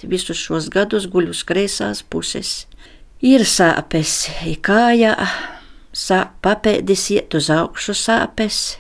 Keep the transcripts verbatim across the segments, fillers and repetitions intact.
Visus šos gadus guļu uz kreisās puses. Ir sāpes, ir kājā, sāp papēdis iet uz augšu sāpes,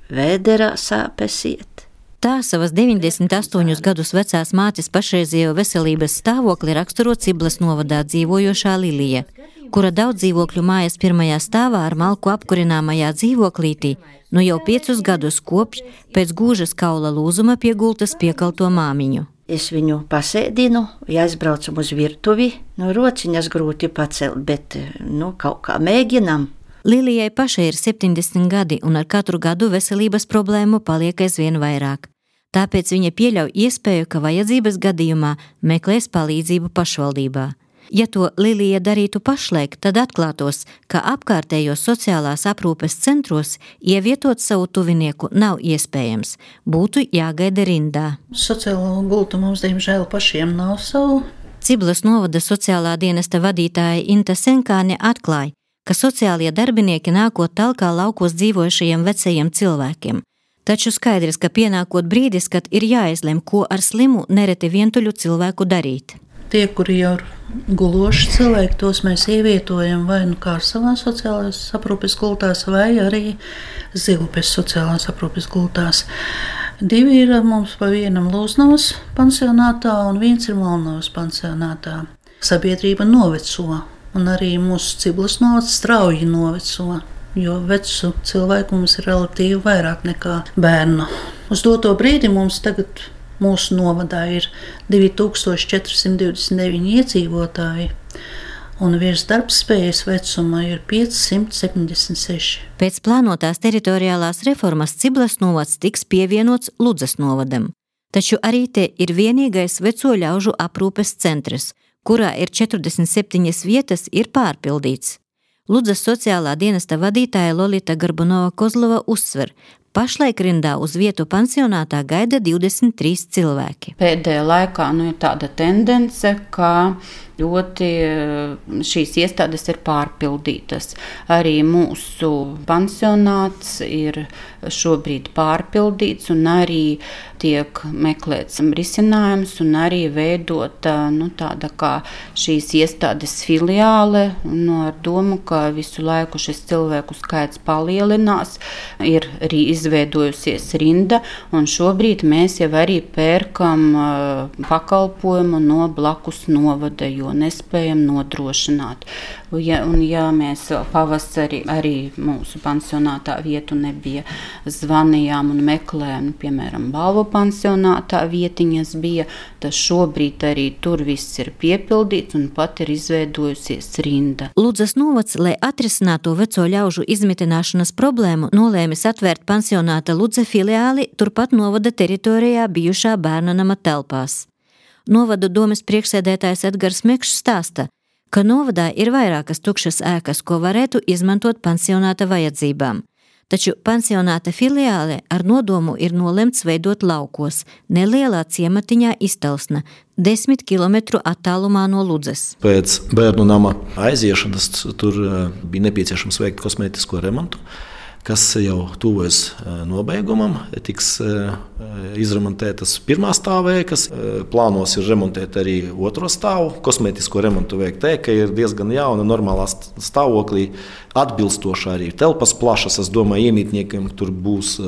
vēderā sāpes iet. Tā savas deviņdesmit astoņus gadus vecās mātes pašreizējo veselības stāvokli raksturo Ciblas novadā dzīvojošā Lilija, kura daudz dzīvokļu mājas pirmajā stāvā ar malku apkurināmajā dzīvoklītī nu jau piecus gadus kopš pēc gūžas kaula lūzuma pie gultas piekalto māmiņu. Es viņu pasēdinu, ja aizbraucam uz virtuvi, no rociņas grūti pacelt, bet nu, kaut kā mēģinam. Lilijai pašai ir septiņdesmit gadi un ar katru gadu veselības problēmu paliek aizvien vairāk. Tāpēc viņa pieļauj iespēju, ka vajadzības gadījumā meklēs palīdzību pašvaldībā. Ja to Lilija darītu pašlaik, tad atklātos, ka apkārtējos sociālās aprūpes centros ievietot savu tuvinieku nav iespējams, būtu jāgaida rindā. Sociālo gultu mums, diemžēl, pašiem nav savu. Ciblas novada sociālā dienesta vadītāja Inta Senkāne atklāja, ka sociālie darbinieki nākot talkā laukos dzīvojušajiem vecajiem cilvēkiem. Taču skaidrs, ka pienākot brīdis, kad ir jāizlem, ko ar slimu nereti vientuļu cilvēku darīt. Tie, kuri jau ir guloši cilvēki, tos mēs ievietojam vai nu Kārsavā sociālās aprūpes gultās, vai arī Zilupes sociālās aprūpes gultās. Divi ir mums pa vienam Lūznavas pansionātā un viens ir Malnavas pansionātā. Sabiedrība noveco, un arī mūsu Ciblas novads strauji noveco, jo vecu cilvēku mums ir relatīvi vairāk nekā bērnu. Uz doto brīdi mums tagad mūsu novadā ir divi tūkstoši četri simti divdesmit deviņi iedzīvotāji, un virs darbspējas vecuma ir pieci simti septiņdesmit seši. Pēc plānotās teritoriālās reformas Ciblas novads tiks pievienots Ludzas novadam. Taču arī te ir vienīgais veco ļaužu aprūpes centrs, kurā ir četrdesmit septiņas vietas, ir pārpildīts. Ludzas sociālā dienesta vadītāja Lolita Garbunova-Kozlova uzsver, pašlaik rindā uz vietu pansionātā gaida divdesmit trīs cilvēki. Pēdējā laikā nu, ir tāda tendence, ka ļoti šīs iestādes ir pārpildītas. Arī mūsu pansionāts ir šobrīd pārpildīts un arī tiek meklēts risinājums un arī veidota nu, tāda kā šīs iestādes filiāle nu, ar domu, ka visu laiku šis cilvēku skaits palielinās, ir arī izveidojusies rinda un šobrīd mēs jau arī pērkam pakalpojumu no blakus novada, jo nespējam nodrošināt. Ja, un ja mēs pavasarī arī mūsu pansionātā vietu nebija, zvanījām un meklējām, piemēram, Balvu pansionātā vietiņas bija, tad šobrīd arī tur viss ir piepildīts un pat ir izveidojusies rinda. Ludzas novads, lai atrisinātu veco ļaužu izmitināšanas problēmu, nolēmis atvērt pansionāta Ludze filiāli turpat novada teritorijā bijušā bērnanama telpās. Novadu domes priekšsēdētājs Edgars Mekšs stāsta, ka novadā ir vairākas tukšas ēkas, ko varētu izmantot pansionāta vajadzībām. Taču pansionāta filiāle ar nodomu ir nolemts veidot laukos, nelielā ciematiņā Iztelsna, desmit kilometru attālumā no Ludzes. Pēc bērnu nama aiziešanas tur bija nepieciešams veikt kosmētisko remontu, kas jau tuvojas nobeigumam, tiks izremontētas pirmā stāvēkas, plānos ir remontēt arī otro stāvu, kosmētisko remontu veikt ēka ir diezgan jauna, normālā stāvoklī, atbilstoši arī telpas plašas, es domāju, iemītniekiem tur būs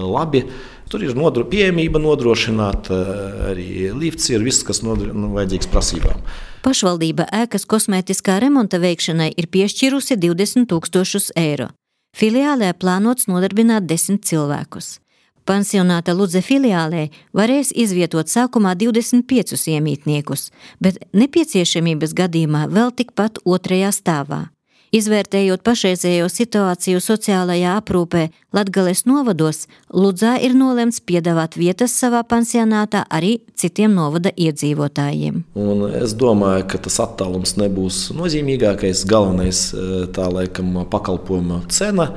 labi. Tur ir nodro, pieejamība nodrošināta, arī lifts ir viss, kas nodro, nu, vajadzīgs prasībām. Pašvaldība ēkas kosmētiskā remonta veikšanai ir piešķirusi divdesmit tūkstošus eiro. Filiālē plānots nodarbināt desmit cilvēkus. Pansionāta Ludze filiālē varēs izvietot sākumā divdesmit piecus iemītniekus, bet nepieciešamības gadījumā vēl tikpat otrajā stāvā. Izvērtējot pašreizējo situāciju sociālajā aprūpē Latgales novados, Ludzā ir nolemts piedāvāt vietas savā pansionātā arī citiem novada iedzīvotājiem. Un es domāju, ka tas attālums nebūs nozīmīgākais, galvenais tā laikam pakalpojuma cena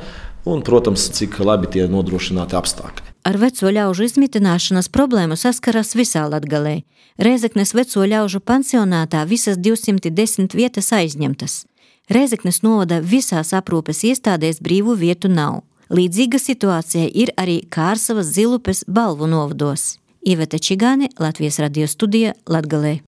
un, protams, cik labi tie nodrošināti apstākļi. Ar veco ļaužu izmitināšanas problēmu saskaras visā Latgalē. Rēzeknes veco ļaužu pansionātā visas divsimt desmit vietas aizņemtas. Rēzeknes novada visās aprūpes iestādēs brīvu vietu nav. Līdzīga situācija ir arī Kārsavas, Zilupes, Balvu novados. Iveta Čigāne, Latvijas radio studija Latgalē.